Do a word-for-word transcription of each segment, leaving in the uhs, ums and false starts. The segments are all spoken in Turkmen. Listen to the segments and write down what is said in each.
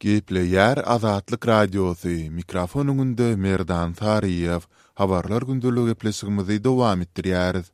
Gepleýär Azatlyk Radiosy, mikrofon öňünde Merdan Saryýew. Habarlar gündeligi gepleşigimizi dowam etdirýäris.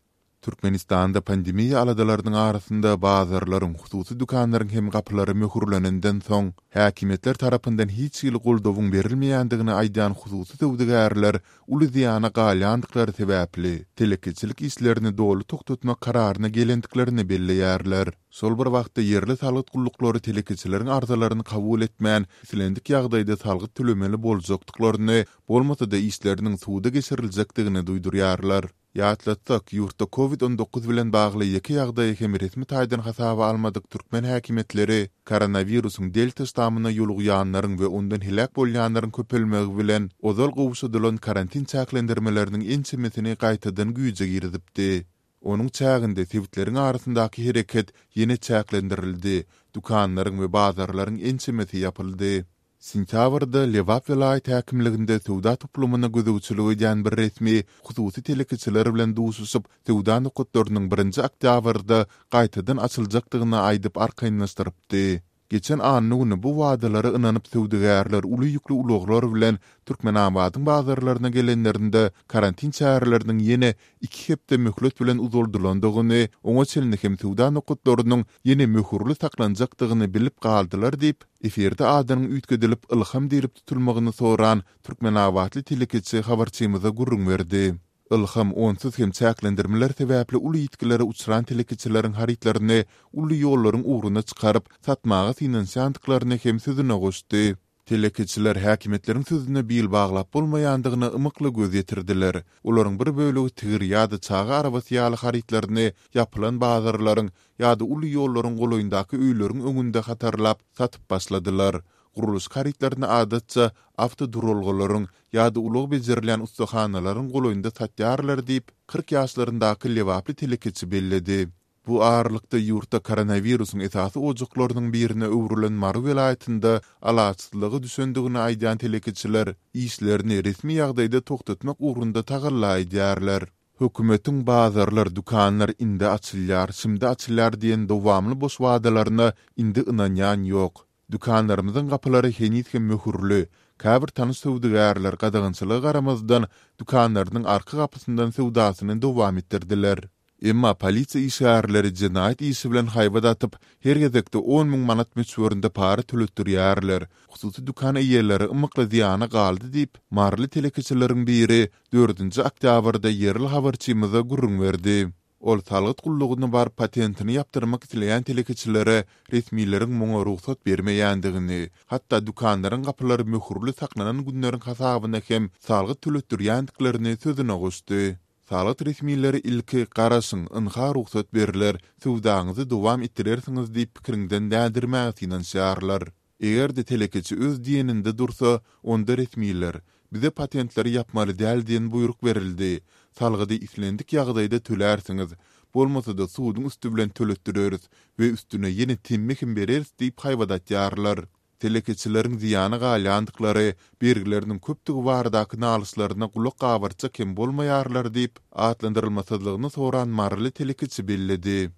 Türkmenistanda pandemiýa aladalarynyň arasynda bazarlaryň, hususy dükanlaryň hem gapylary möhürlenenden soň, häkimiýetler tarapyndan hiç hili goldawyň berilmeýändigini aýdýan hususy söwdagärler uly zyýana galýandyklary sebäpli, telekeçilik işlerini doly togtatmak kararyna gelendiklerini belleýärler. Şol bir wagtda ýerli salgyt gulluklary telekeçileriň arzalaryny kabul etmän, islendik ýagdaýda salgyt tölemeli boljakdyklaryny, bolmasa-da işleriniň suda geçiriljekdigini duýdurýarlar. Ýatlatsak, ýurtda Covid on dokuz bilen bagly ýeke ýagdaýy hem resmi taýdan hasaba almadyk türkmen häkimiýetleri koronawirusyň delta ştamyna ýolugýanlaryň we ondan heläk bolýanlaryň köpelmegi bilen ozal gowşadylan karantin çäklendirmeleriniň ençemesini gaýtadan güýje girizipdi. Onuň çäginde sebitleriň arasyndaky hereket ýene çäklendirildi, dükanlaryň we bazarlaryň ençemesi ýapyldy. Sentýabrda Lebap welaýat häkimliginde söwda toplumyna gözegçilik edýän bir resmi hususy telekeçiler bilen duşuşyp, söwda nokatlarynyň birinji oktýabrda gaýtadan açyljakdygyny aýdyp arkaýynlaşdyrypdy. Geçen anna güni bu wadalara ynanyp söwdagärler uly ýükli ulaglar bilen Türkmenabadyň bazarlaryna gelenlerinde karantin çäreleriniň ýene iki hepde möhlet bilen uzaldylandygyny, oňa çenli hem söwda nokatlarynyň ýene möhürli saklanjakdygyny bilip galdylar diýip, efirde adynyň üýtgedilip Ylham diýlip tutulmagyny soran türkmenabatly telekeçi habarçymyza gürrüň berdi. Ylham onsuz hem çäklendirmeler sebäpli uly ýitgilere uçran telekeçileriň harytlaryny uly ýollaryň ugruna çykaryp, satmaga synanyşýandyklaryny hem sözüne goşdy. Telekeçiler häkimiýetleriň sözüne bil baglap bolmaýandygyna ymykly göz ýetirdiler. Olaryň bir bölegi tigir ýa-da çaga arabasy ýaly harytlaryny ýapylan bazarlaryň ýa-da uly ýollaryň golaýyndaky öýleriň öňünde hatarlap satyp başladylar. Gurluşyk harytlaryny adatça awtoduralgalaryň ýa-da ulag bejerilýän ussahanalaryň golaýynda satýarlar diýip, kyrk ýaşlaryndaky lebaply telekeçi belledi. Bu aralykda ýurtda koronawirusyň esasy ojaklarynyň birine öwrülen Mary welaýatynda alaçsyzlyga düşendigini aýdýan telekeçiler işlerini resmi ýagdaýda togtatmak ugrunda tagalla edýärler. Hökümetiň bazarlar, dükanlar indi açylýar, şimdi açylýar diýen dowamly boş wadalaryna indi ynanýan ýok. Dükanlarymyzyň gapylary heniz hem möhürli. Käbir tanyş söwdagärler gadagançylyga garamazdan dükanlarynyň arka gapysyndan söwdasyny dowam etdirdiler. Emma polisiýa işgärleri jenaýat işi bilen haýbat atyp, her gezekde on müň manat möçberinde para töletdirýärler. Hususy dükan eýeleri ymykly zyýana galdy diýip, maryly telekeçileriň biri dördünji oktýabrda ýerli habarçymyza gürrüň berdi. Ol salgyt gullugyna baryp patentini ýapdyrmak isleýän telekeçilere resmileriň muňa rugsat bermeýändigini, hatda dükanlaryň gapylary möhürli saklanan günleriň hasabyna hem salgyt töletdirýändiklerini sözüne goşdy. Salgyt resmileri ilki garaşyň, ynha rugsat berler, söwdaňyzy dowam etdirersiňiz diýip pikiriňden dändirmäge synanyşýarlar. Eger-de telekeçi öz diýeninde dursa, onda resmiler bize patentleri ýapmaly däl diýen buýruk berildi. Salgydy islendik ýagdaýda tölärsiňiz, bolmasa-da suduň üsti bilen töletdireris we üstüne ýene temmi hem bereris diýip haýbat atýarlar. Telekeçileriň zyýana galýandyklary, bergileriniň köpdügi baradaky nalyşlaryna gulak gabartjak hem bolmaýarlar diýip, atlandyrylmasyzlygyny soran maryly telekeçi belledi.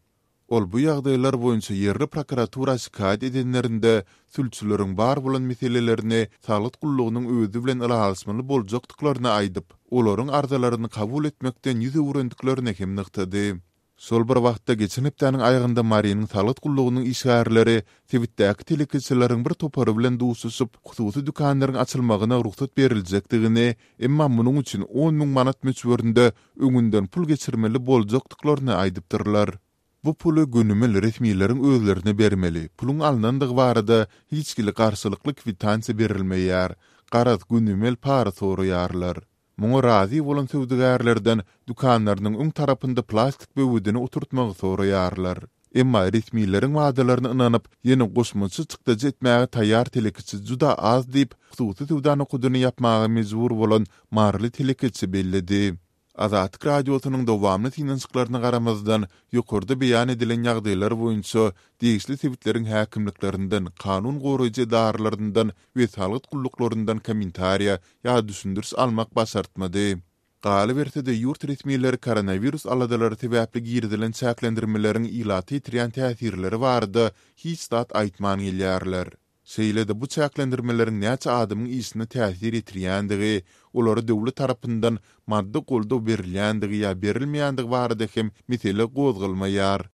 Ol bu ýagdaýlar boýunça ýerli prokuratura şikaýat edenlerinde sülçüleriň bar bolan meselelerini salgyt gullugynyň özi bilen ylalaşmaly boljakdyklaryny aýdyp, olaryň arzalaryny kabul etmekden ýüz öwrendiklerini hem nygtady. Şol bir wagtda geçen hepdäniň aýagynda Marynyň salgyt gullugynyň işgärleri sebitdäki telekeçileriň bir topary bilen duşuşyp, hususy dükanlaryň açylmagyna rugsat beriljekdigini, emma munuň üçin on müň manat möçberinde öňünden pul geçirmeli boljakdyklaryny aýdypdyrlar. Bu puly gönümel resmileriň özlerine bermeli, puluň alnandygy barada hiç hili garşylykly kwitansiýa berilmeýär. Garaz, gönümel para soraýarlar. Muňa razy bolan söwdagärlerden dükanlarynyň öň tarapynda plastik böwedini oturtmagy soraýarlar. Emma resmileriň wadalaryna ynanyp, ýene goşmaça çykdajy etmäge taýýar telekeçi juda az diýip, hususy söwda nokadyny ýapmaga mejbur bolan maryly telekeçi belledi. Azatlyk Radiosynyň dowamly synanyşyklaryna garamazdan, ýokarda beýan edilen ýagdaýlar boýunça degişli sebitleriň häkimliklerinden, kanun goraýjy edaralaryndan we salgyt gulluklaryndan kommentariýa ýa düşündiriş almak başartmady. Galyberse-de, ýurt resmileri koronawirus aladalary sebäpli girizilen çäklendirmeleriň ilata ýetirýän täsirleri barada hiç zat aýtman gelýärler. Şeýle-de bu çäklendirmeleriň näçe adamyň işine täsir ýetirýändigi, olara döwlet tarapyndan maddy goldaw berilýändigi ýa berilmeýändigi barada hem mesele gozgalmaýar.